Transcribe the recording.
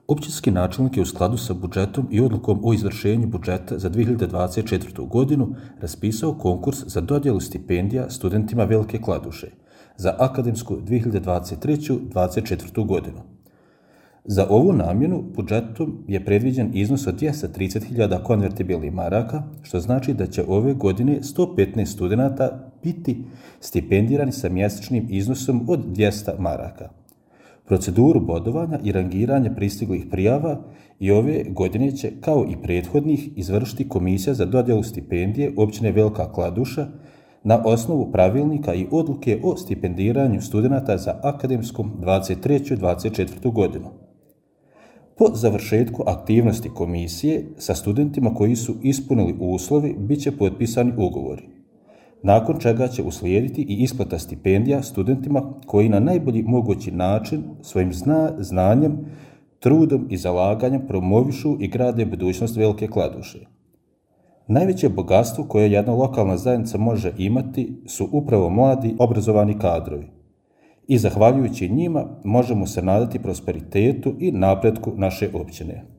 Općinski načelnik je u skladu sa budžetom i odlukom o izvršenju budžeta za 2024. godinu raspisao konkurs za dodjelu stipendija studentima Velike Kladuše za akademsku 2023-2024. godinu. Za ovu namjenu budžetom je predviđen iznos od 230.000 konvertibilnih maraka, što znači da će ove godine 115 studenata biti stipendirani sa mjesečnim iznosom od 200 maraka. Proceduru bodovanja i rangiranja pristiglih prijava i ove godine će, kao i prethodnih, izvršiti Komisija za dodjelu stipendije općine Velika Kladuša na osnovu pravilnika i odluke o stipendiranju studenata za akademsku 23-24. godinu. Po završetku aktivnosti komisije sa studentima koji su ispunili uslovi bit će potpisani ugovori, nakon čega će uslijediti i isplata stipendija studentima koji na najbolji mogući način svojim znanjem, trudom i zalaganjem promovišu i grade budućnost Velike Kladuše. Najveće bogatstvo koje jedna lokalna zajednica može imati su upravo mladi, obrazovani kadrovi. I zahvaljujući njima možemo se nadati prosperitetu i napretku naše općine.